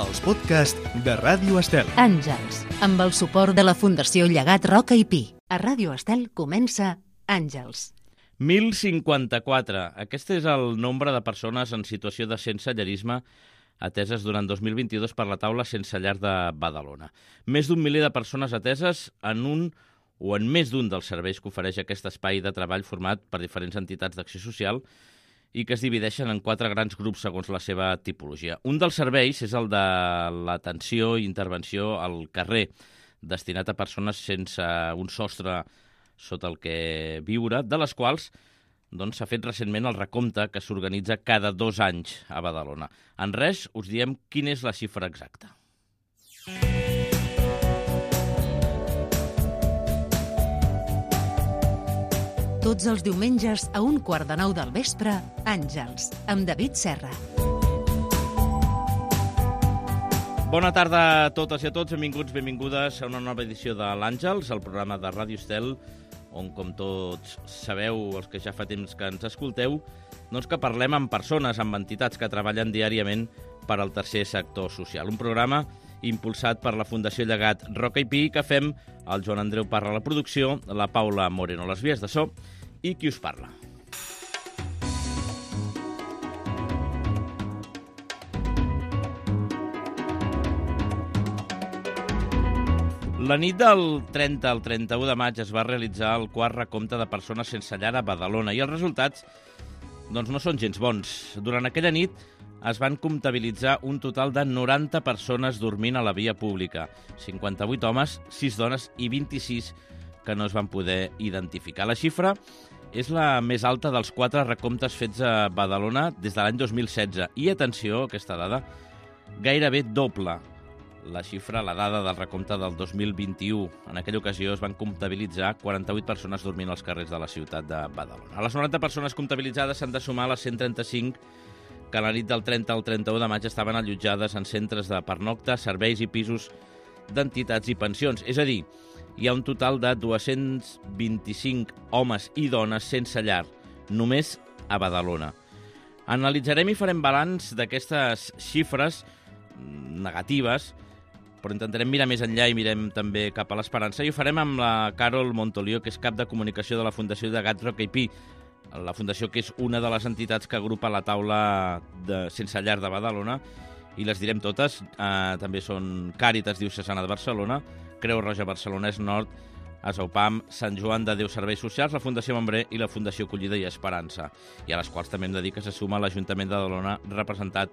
els podcasts de Ràdio Estel. Àngels, amb el suport de la Fundació Llegat Roca i Pi. A Ràdio Estel comença Àngels. 1054. Aquest és el nombre de persones en situació de sensellarisme ateses durant 2022 per la taula Sense Llar de Badalona. Més d'un miler de persones ateses en un o en més d'un dels serveis que ofereix aquest espai de treball format per diferents entitats d'acció social i que es divideixen en 4 grans grups segons la seva tipologia. Un dels serveis és el de l'atenció i intervenció al carrer, destinat a persones sense un sostre sota el que viure, de les quals s'ha fet recentment el recompte que s'organitza cada 2 anys a Badalona. En res, us diem quina és la xifra exacta. Tots els diumenges a 8:45 del vespre, Àngels, amb David Serra. Bona tarda a totes i a tots, benvinguts, benvingudes a una nova edició de l'Àngels, el programa de Ràdio Estel, on, com tots sabeu, els que ja fa temps que ens escolteu, que parlem amb persones, amb entitats que treballen diàriament per al tercer sector social. Un programa impulsat per la Fundació Llegat Roca i Pi, que fem el Joan Andreu Parra a la producció, la Paula Moreno a les vies de so i qui us parla. La nit del 30 al 31 de maig es va realitzar el quart recompte de persones sense llar a Badalona i els resultats no són gens bons. Durant aquella nit es van comptabilitzar un total de 90 persones dormint a la via pública, 58 homes, 6 dones i 26 que no es van poder identificar. La xifra és la més alta dels 4 recomptes fets a Badalona des de l'any 2016. I, atenció, aquesta dada, gairebé doble la xifra, la dada del recompte del 2021. En aquella ocasió es van comptabilitzar 48 persones dormint als carrers de la ciutat de Badalona. A les 90 persones comptabilitzades s'han de sumar les 135 que la nit del 30 al 31 de maig estaven allotjades en centres de pernocta, serveis i pisos d'entitats i pensions. És a dir, hi ha un total de 225 homes i dones sense llar, només a Badalona. Analitzarem i farem balanç d'aquestes xifres negatives, però intentarem mirar més enllà i mirem també cap a l'esperança. I ho farem amb la Carol Montolió, que és cap de comunicació de la Fundació Llegat Roca i Pi, la fundació que és una de les entitats que agrupa la taula de Sense Llar de Badalona, i les direm totes. També són Càritas Diocesana de Barcelona, Creu Roja Barcelonès Nord, Asaupam, Sant Joan de Déu Serveis Socials, la Fundació Membré i la Fundació Acollida i Esperança, i a les quals també hem de dir que se suma l'Ajuntament de Badalona, representat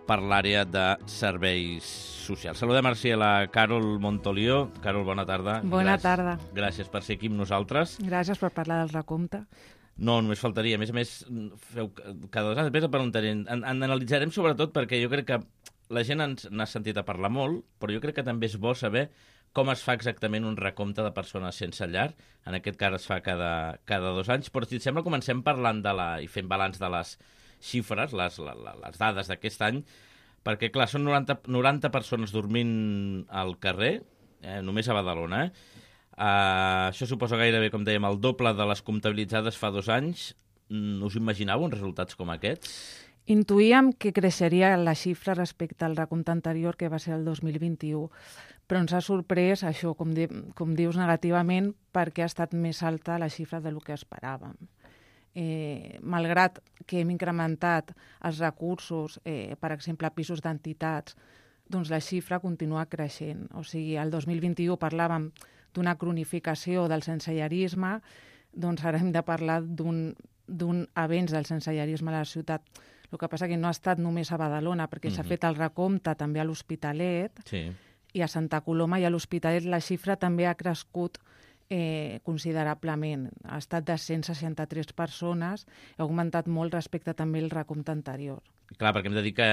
per l'àrea de serveis socials. Saludem ara a la Carol Montolió. Carol, bona tarda. Bona tarda. Gràcies per ser aquí amb nosaltres. Gràcies per parlar del recompte. No, només faltaria. A més, feu cada 2 anys. Després preguntaré. Analitzarem sobretot perquè jo crec que la gent n'ha sentit a parlar molt, però jo crec que també és bo saber com es fa exactament un recompte de persones sense llar. En aquest cas es fa cada 2 anys, però si et sembla comencem parlant i fent balanç de les xifres, les dades d'aquest any, perquè, clar, són 90 persones dormint al carrer, només a Badalona. Això suposa gairebé, com dèiem, el doble de les comptabilitzades fa 2 anys. Us imaginàveu uns resultats com aquests? Intuïem que creixeria la xifra respecte al recompte anterior, que va ser el 2021, però ens ha sorprès això, com dius, negativament, perquè ha estat més alta la xifra del que esperàvem. Malgrat que hem incrementat els recursos, per exemple, pisos d'entitats, doncs la xifra continua creixent. O sigui, el 2021 parlàvem d'una cronificació del sensellarisme, doncs ara hem de parlar d'un avenç del sensellarisme a la ciutat. El que passa que no ha estat només a Badalona, perquè s'ha fet el recompte també a l'Hospitalet, sí. I a Santa Coloma, i a l'Hospitalet la xifra també ha crescut considerablement. Ha estat de 163 persones, ha augmentat molt respecte també al recompte anterior. Clar, perquè hem de dir que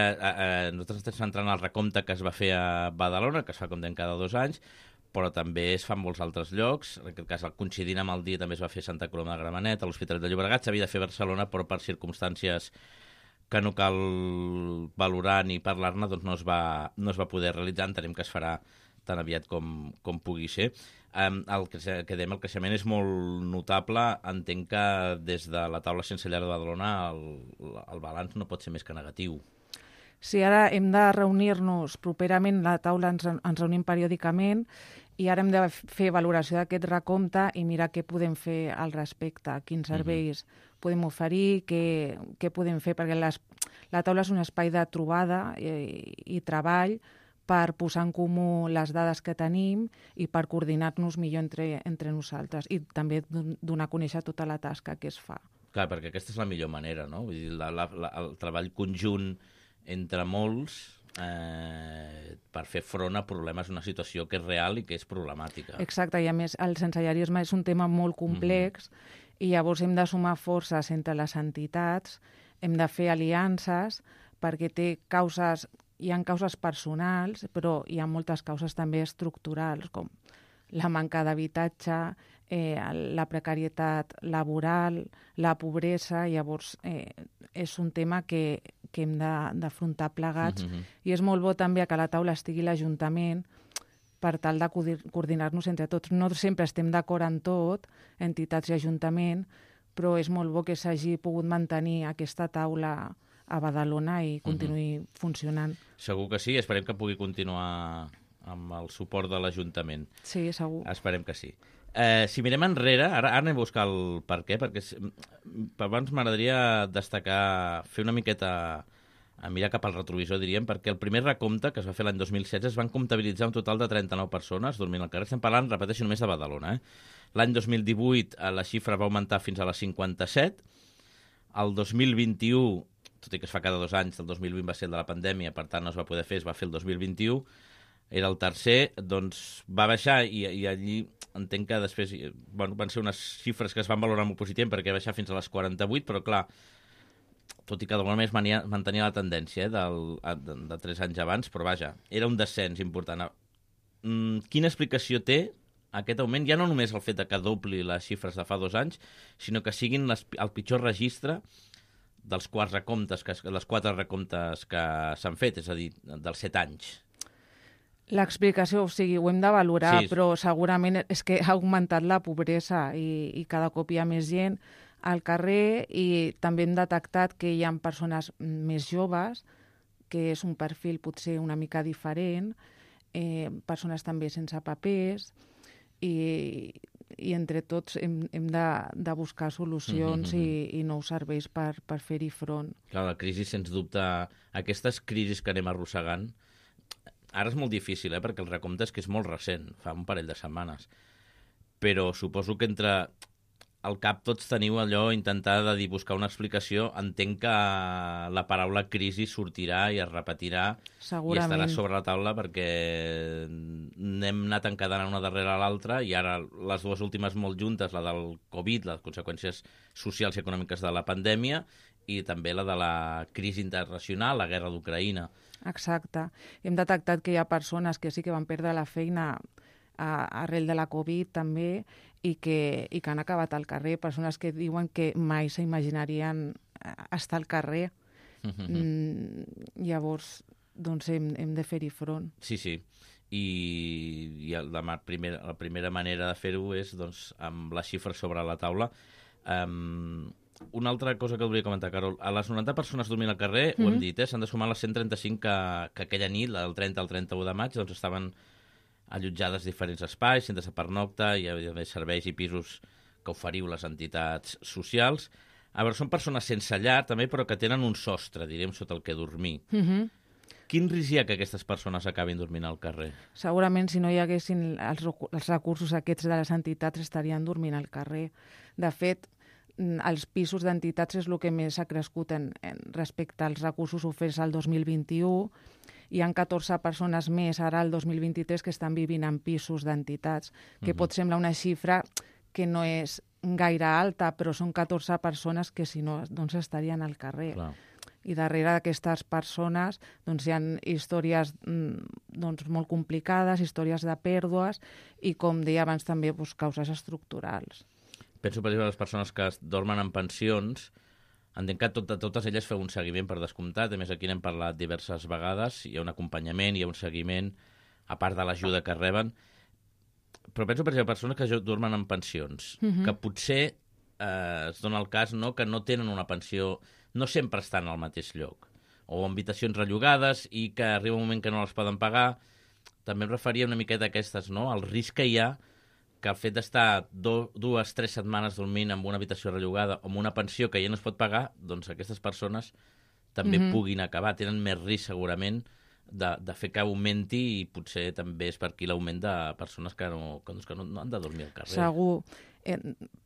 nosaltres estem centrant el recompte que es va fer a Badalona, que es fa com dèiem cada 2 anys, però també es fa en molts altres llocs. En aquest cas, coincidint amb el dia, també es va fer a Santa Coloma de Gramenet, a l'Hospitalet de Llobregat, s'havia de fer a Barcelona, però per circumstàncies que no cal valorar ni parlar-ne, doncs no es va poder realitzar. Entenem que es farà tan aviat com pugui ser. El creixement és molt notable. Entenc que des de la taula Sense Llar de Badalona el balanç no pot ser més que negatiu. Sí, ara hem de reunir-nos properament, la taula ens reunim periòdicament i ara hem de fer valoració d'aquest recompte i mirar què podem fer al respecte, quins serveis podem oferir, què podem fer, perquè la taula és un espai de trobada i treball per posar en comú les dades que tenim i per coordinar-nos millor entre nosaltres i també donar a conèixer tota la tasca que es fa. Clar, perquè aquesta és la millor manera, no? Vull dir, el treball conjunt entre molts per fer front a problemes, una situació que és real i que és problemàtica. Exacte, i a més el sensellarisme és un tema molt complex i llavors hem de sumar forces entre les entitats, hem de fer aliances perquè hi ha causes personals, però hi ha moltes causes també estructurals, com la manca d'habitatge, la precarietat laboral, la pobresa. Llavors, és un tema que hem d'afrontar plegats. I és molt bo també que a la taula estigui l'Ajuntament per tal de coordinar-nos entre tots. No sempre estem d'acord en tot, entitats i Ajuntament, però és molt bo que s'hagi pogut mantenir aquesta taula a Badalona i continuï funcionant. Segur que sí, esperem que pugui continuar amb el suport de l'Ajuntament. Sí, segur. Esperem que sí. Si mirem enrere, ara anem a buscar el per què, perquè abans m'agradaria destacar, fer una miqueta a mirar cap al retrovisor, diríem, perquè el primer recompte, que es va fer l'any 2016, es van comptabilitzar un total de 39 persones dormint al carrer. Estem parlant, repeteixo, només de Badalona. L'any 2018 la xifra va augmentar fins a les 57. El 2021, tot i que es fa cada 2 anys, el 2020 va ser el de la pandèmia, per tant no es va poder fer, es va fer el 2021, era el tercer, doncs va baixar i allí entenc que després van ser unes xifres que es van valorar molt positivament perquè va baixar fins a les 48, però clar, tot i que d'alguna manera mantenia la tendència de 3 anys abans, però vaja, era un descens important. Quina explicació té aquest augment? Ja no només el fet que dobli les xifres de fa 2 anys, sinó que siguin el pitjor registre dels 4 recomptes que s'han fet, és a dir, dels 7 anys. L'explicació, o sigui, ho hem de valorar, sí, però segurament és que ha augmentat la pobresa i cada cop hi ha més gent al carrer i també hem detectat que hi ha persones més joves, que és un perfil potser una mica diferent, persones també sense papers i entre tots hem de buscar solucions i nous serveis per fer-hi front. Clar, la crisi, sens dubte, aquestes crisis que anem arrossegant, ara és molt difícil, perquè el recompte és que és molt recent, fa un parell de setmanes. Però suposo que entre al cap tots teniu allò, intentar de buscar una explicació. Entenc que la paraula crisi sortirà i es repetirà i estarà sobre la taula perquè n'hem anat encadenant una darrere l'altra i ara les dues últimes molt juntes, la del Covid, les conseqüències socials i econòmiques de la pandèmia i també la de la crisi internacional, la guerra d'Ucraïna. Exacte. Hem detectat que hi ha persones que sí que van perdre la feina arrel de la Covid també i que han acabat al carrer, persones que diuen que mai s'imaginarien estar al carrer. Llavors, doncs hem de fer-hi front. Sí, sí. I la primera manera de fer-ho és doncs, amb les xifres sobre la taula. Una altra cosa que volia comentar, Carol. A les 90 persones dormint al carrer, ho hem dit, s'han de sumar les 135 que aquella nit, del 30 al 31 de maig, doncs estaven allotjades diferents espais, centres de pernocta, hi ha serveis i pisos que oferiu les entitats socials. A veure, són persones sense llar, també, però que tenen un sostre, direm, sota el que dormir. Quin risc hi ha que aquestes persones acabin dormint al carrer? Segurament, si no hi haguessin els recursos aquests de les entitats, estarien dormint al carrer. De fet, els pisos d'entitats és el que més ha crescut respecte als recursos oferts al 2021. Hi ha 14 persones més ara al 2023 que estan vivint en pisos d'entitats, que pot semblar una xifra que no és gaire alta, però són 14 persones que si no doncs estarien al carrer. Clar. I darrere d'aquestes persones doncs, hi ha històries doncs, molt complicades, històries de pèrdues i, com deia abans, també causes estructurals. Penso, per exemple, les persones que dormen en pensions, entenc que totes elles feu un seguiment per descomptat, a més aquí n'hem parlat diverses vegades, hi ha un acompanyament, hi ha un seguiment, a part de l'ajuda que reben, però penso, per exemple, persones que dormen en pensions, que potser es dona el cas que no tenen una pensió, no sempre estan al mateix lloc. o habitacions rellogades i que arriba un moment que no les poden pagar. També em referia una miqueta a aquestes, no? El risc que hi ha que el fet d'estar 2-3 setmanes dormint en una habitació rellogada o en una pensió que ja no es pot pagar, doncs aquestes persones també puguin acabar. Tenen més risc, segurament, de fer que augmenti i potser també és per aquí l'augment de persones que no han de dormir al carrer. Segur.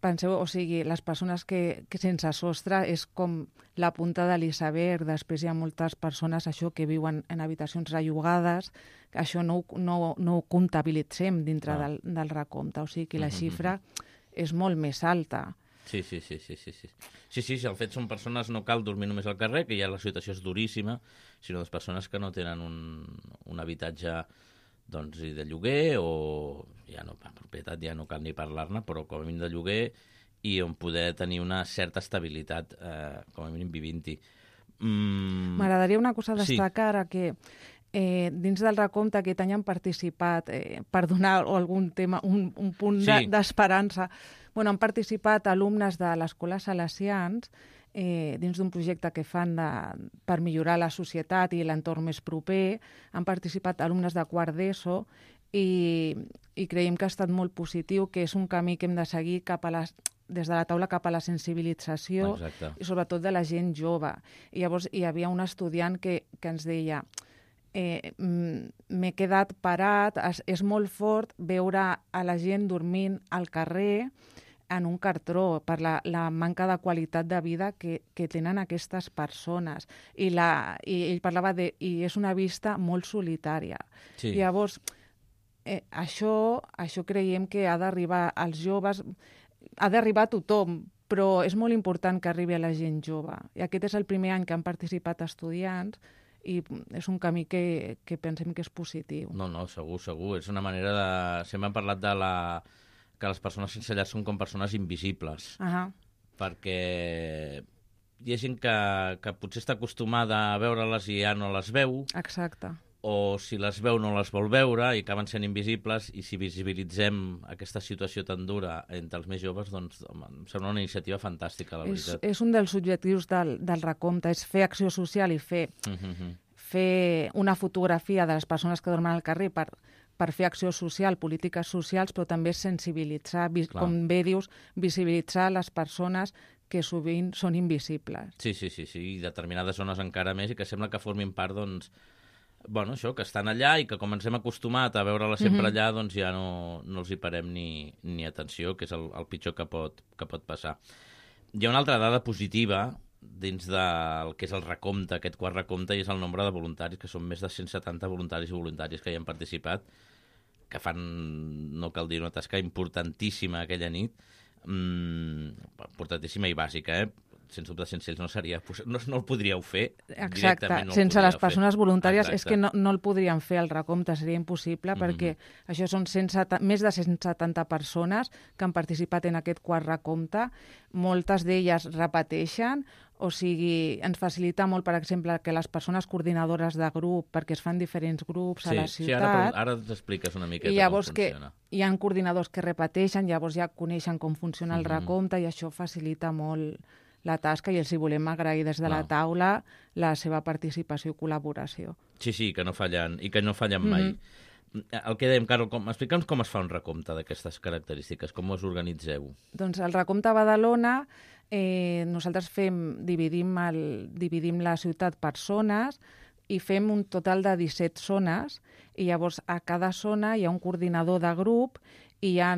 Penseu, o sigui, les persones que sense sostre és com la punta de l'iceberg. Després hi ha moltes persones això que viuen en habitacions rellogades, que això no ho comptabilitzem dintre del recompte. O sigui que la xifra és molt més alta. Sí, el fet són persones, no cal dormir només al carrer, que ja la situació és duríssima, sinó les persones que no tenen un habitatge doncs, de lloguer o ja no, per propietat ja no cal ni parlar-ne, però com a mínim de lloguer i on poder tenir una certa estabilitat, com a mínim vivint-hi. M'agradaria una cosa destacar, que dins del recompte aquest any han participat, per donar algun tema, un punt d'esperança, han participat alumnes de l'Escola Salesians dins d'un projecte que fan per millorar la societat i l'entorn més proper. Han participat alumnes de quart d'ESO i creiem que ha estat molt positiu, que és un camí que hem de seguir des de la taula cap a la sensibilització. Exacte. I sobretot de la gent jove. I llavors hi havia un estudiant que ens deia m'he quedat parat, és molt fort veure a la gent dormint al carrer en un cartró per la manca de qualitat de vida que tenen aquestes persones. I ell parlava i és una vista molt solitària. Sí. Llavors, això creiem que ha d'arribar als joves, ha d'arribar a tothom, però és molt important que arribi a la gent jove. I aquest és el primer any que han participat estudiants i és un camí que pensem que és positiu. No, segur. És una manera de... Sempre hem parlat que les persones sense llar són com persones invisibles. Perquè hi ha gent que potser està acostumada a veure-les i ja no les veu. Exacte. O si les veu no les vol veure i acaben sent invisibles, i si visibilitzem aquesta situació tan dura entre els més joves, doncs em sembla una iniciativa fantàstica, la veritat. És un dels objectius del recompte, és fer acció social i fer una fotografia de les persones que dormen al carrer per fer acció social, polítiques socials, però també sensibilitzar, com bé dius, visibilitzar les persones que sovint són invisibles. Sí, i determinades zones encara més, i que sembla que formin part, doncs, això, que estan allà i que com ens hem acostumat a veure-la sempre allà, doncs ja no els hi parem ni atenció, que és el pitjor que pot passar. Hi ha una altra dada positiva dins del que és el recompte, aquest quart recompte, i és el nombre de voluntaris, que són més de 170 voluntaris i voluntàries que hi han participat, que fan, no cal dir, una tasca importantíssima aquella nit, importantíssima i bàsica, Sense dubte, sense ells no el podríeu fer. Exacte, sense les persones voluntàries és que no el podríem fer, el recompte seria impossible, perquè això són més de 170 persones que han participat en aquest quart recompte, moltes d'elles repeteixen, o sigui, ens facilita molt, per exemple, que les persones coordinadores de grup, perquè es fan diferents grups a la ciutat... Sí, ara t'expliques una miqueta com funciona. Hi ha coordinadors que repeteixen, llavors ja coneixen com funciona el recompte i això facilita molt la tasca, i els hi volem agrair des de la taula la seva participació i col·laboració. Sí, que no fallen, i que no fallen mai. El que dèiem, Carol, explica'ns com es fa un recompte d'aquestes característiques, com us organitzeu? Doncs el recompte a Badalona, nosaltres dividim la ciutat per zones i fem un total de 17 zones, i llavors a cada zona hi ha un coordinador de grup i hi ha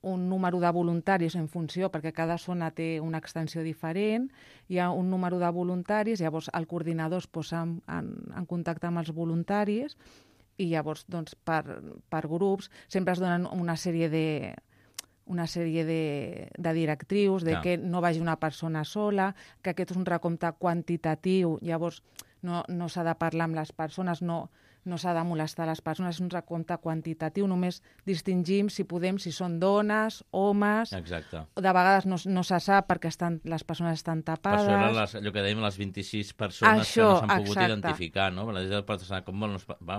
un número de voluntaris en funció, perquè cada zona té una extensió diferent, hi ha un número de voluntaris, llavors el coordinador es posa en contacte amb els voluntaris i llavors doncs, per grups sempre es donen una sèrie de directrius, de que no vagi una persona sola, que aquest és un recompte quantitatiu, llavors no s'ha de parlar amb les persones, no s'ha de molestar les persones, és un recompte quantitatiu, només distingim, si podem, si són dones, homes... Exacte. De vegades no se sap perquè les persones estan tapades... Per això eren allò que dèiem, les 26 persones que no s'han pogut identificar, no?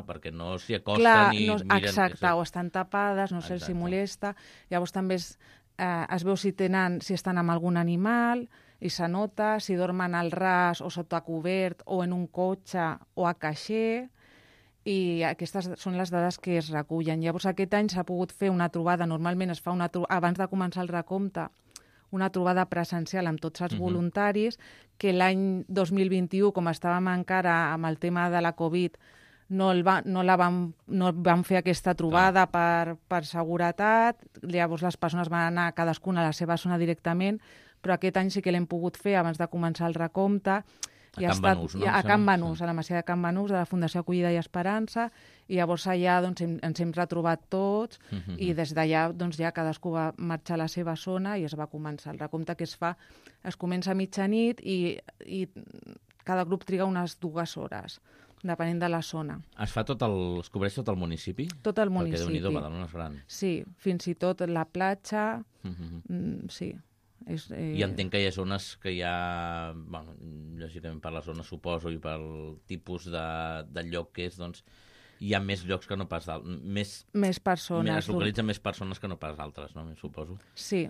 Perquè no s'hi acosten i miren... Exacte, o estan tapades, no sé si molesta... Llavors també es veu si estan amb algun animal... i s'anota si dormen al ras o sota cobert o en un cotxe o a caixer, i aquestes són les dades que es recullen. Llavors aquest any s'ha pogut fer una trobada, normalment es fa abans de començar el recompte, una trobada presencial amb tots els voluntaris, que l'any 2021, com estàvem encara amb el tema de la Covid, no vam fer aquesta trobada per seguretat, llavors les persones van anar cadascuna a la seva zona directament, però aquest any sí que l'hem pogut fer abans de començar el recompte, a Can Banús, a la Masia de Can Banús, de la Fundació Acollida i Esperança, i llavors allà ens hem retrobat tots i des d'allà ja cadascú va marxar a la seva zona i es va començar el recompte, que es comença a mitjanit i cada grup triga unes 2 hores, depenent de la zona. Es cobreix tot el municipi? Tot el municipi. Perquè Déu-n'hi-do, Badalona és gran. Sí, fins i tot la platja, sí. I entenc que hi ha zones que hi ha, lògicament per la zona suposo i pel tipus de lloc que és, doncs hi ha més llocs que no pas d'altres. Més persones. Es localitzen més persones que no pas altres, no? Suposo. Sí.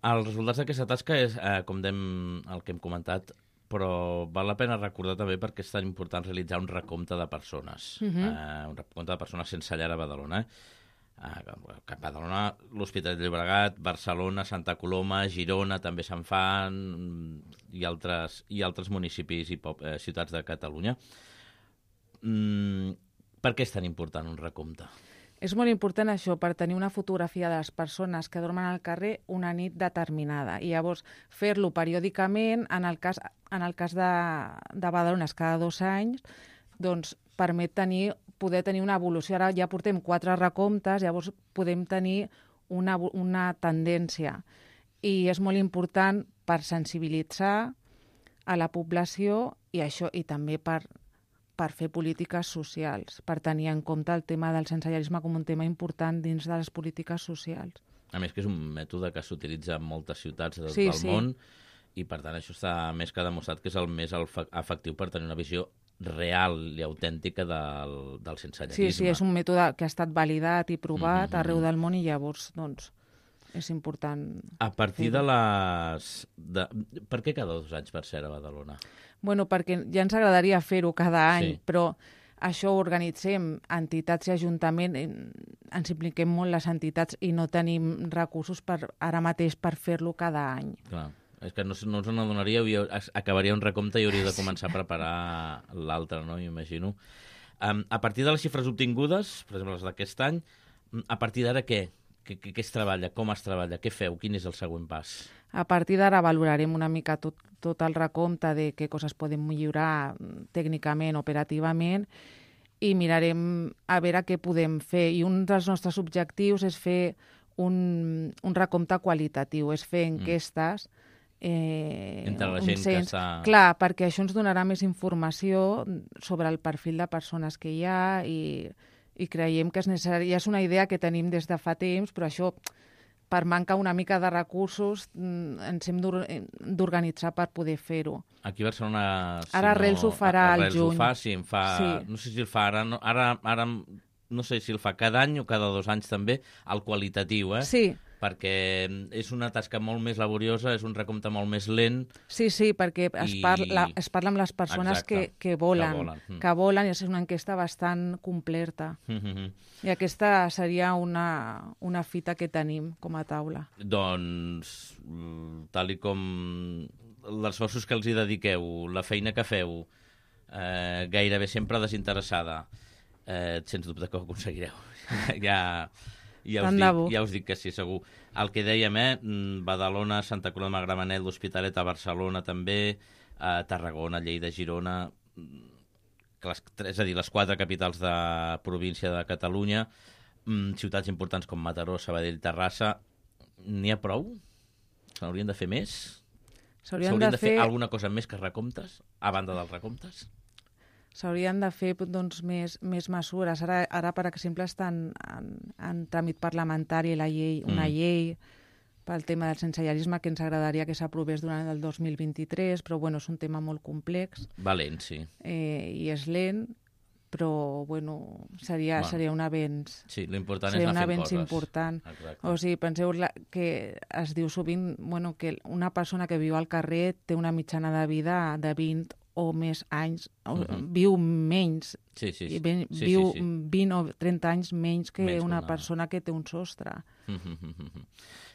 Els resultats d'aquesta tasca és, com dèiem, el que hem comentat, però val la pena recordar també perquè és tan important realitzar un recompte de persones. Un recompte de persones sense llar a Badalona, a Badalona, l'Hospitalet de Llobregat, Barcelona, Santa Coloma, Girona també se'n fan, i altres municipis i ciutats de Catalunya. Per què és tan important un recompte? És molt important això, per tenir una fotografia de les persones que dormen al carrer una nit determinada. I llavors fer-lo periòdicament, en el cas de Badalona cada 2 anys, doncs permet poder tenir una evolució. Ara ja portem 4 recomptes, llavors podem tenir una tendència. I és molt important per sensibilitzar a la població i també per fer polítiques socials, per tenir en compte el tema del sensellarisme com un tema important dins de les polítiques socials. A més que és un mètode que s'utilitza en moltes ciutats del món i per tant això està més que demostrat que és el més efectiu per tenir una visió real i autèntica del sensellarisme. Sí, és un mètode que ha estat validat i provat arreu del món i llavors doncs, és important. A partir de les... Per què cada 2 anys, per ser a Badalona? Bueno, perquè ja ens agradaria fer-ho cada any, però això ho organitzem entitats i ajuntament, ens impliquem molt les entitats i no tenim recursos ara mateix per fer-lo cada any. Clar. És que no us n'adonaríeu i acabaria un recompte i hauríeu de començar a preparar l'altre, no? M'imagino. A partir de les xifres obtingudes, per exemple les d'aquest any, a partir d'ara què? Què es treballa? Com es treballa? Què feu? Quin és el següent pas? A partir d'ara valorarem una mica tot el recompte de què coses podem millorar tècnicament, operativament, i mirarem a veure què podem fer. I un dels nostres objectius és fer un recompte qualitatiu, és fer enquestes entre la gent que està... Clar, perquè això ens donarà més informació sobre el perfil de persones que hi ha i creiem que és necessari. Ja és una idea que tenim des de fa temps, però això, per manca una mica de recursos, ens hem d'organitzar per poder fer-ho. Aquí a Barcelona... Ara Arrels ho farà al juny. No sé si el fa ara, ara no sé si el fa cada any o cada 2 anys també, el qualitatiu, Sí. Perquè és una tasca molt més laboriosa, és un recompte molt més lent. Sí, perquè es parla amb les persones que volen, i és una enquesta bastant completa. I aquesta seria una fita que tenim com a taula. Doncs, tal i com els esforços que els hi dediqueu, la feina que feu, gairebé sempre desinteressada, sens dubte que ho aconseguireu. Ja us dic que sí, segur. El que dèiem, Badalona, Santa Coloma de Gramenet, l'Hospitalet a Barcelona també, Tarragona, Lleida, Girona, és a dir, les 4 capitals de província de Catalunya, ciutats importants com Mataró, Sabadell, Terrassa. N'hi ha prou? Se n'haurien de fer més? S'haurien de fer alguna cosa més que recomptes, a banda dels recomptes? S'haurien de fer més mesures. Ara, per exemple, estan en tràmit parlamentari una llei pel tema del sensellarisme que ens agradaria que s'aprovés durant el 2023, però és un tema molt complex. Va lent, sí. I és lent, però bueno, seria un avenç. Sí, l'important és anar fent coses. Important. Exacte. O sigui, penseu que es diu sovint que una persona que viu al carrer té una mitjana de vida de 20 o més anys, viu menys, viu 20 o 30 anys menys que una persona que té un sostre.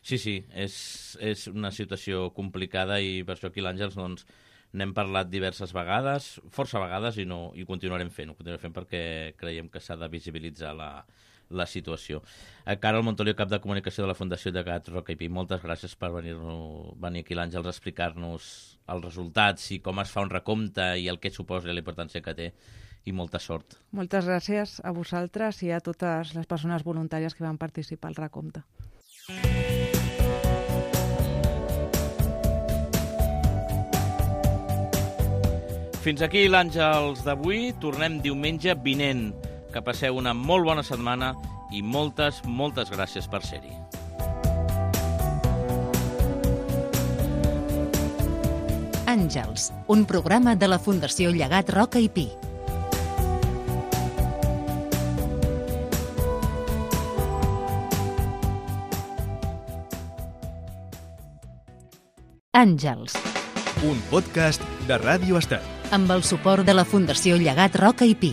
Sí, és una situació complicada i per això aquí l'Àngels n'hem parlat diverses vegades, força vegades, i continuarem fent perquè creiem que s'ha de visibilitzar la situació. Carol Montoliu, cap de comunicació de la Fundació Llegat Roca i Pi, moltes gràcies per venir aquí l'Àngels a explicar-nos els resultats i com es fa un recompte i el que suposa i la importància que té, i molta sort. Moltes gràcies a vosaltres i a totes les persones voluntàries que van participar al recompte. Fins aquí l'Àngels d'avui. Tornem diumenge vinent. Que passeu una molt bona setmana i moltes gràcies per ser-hi. Àngels, un programa de la Fundació Llegat Roca i Pi. Àngels. Un podcast de Ràdio Estel. Amb el suport de la Fundació Llegat Roca i Pi.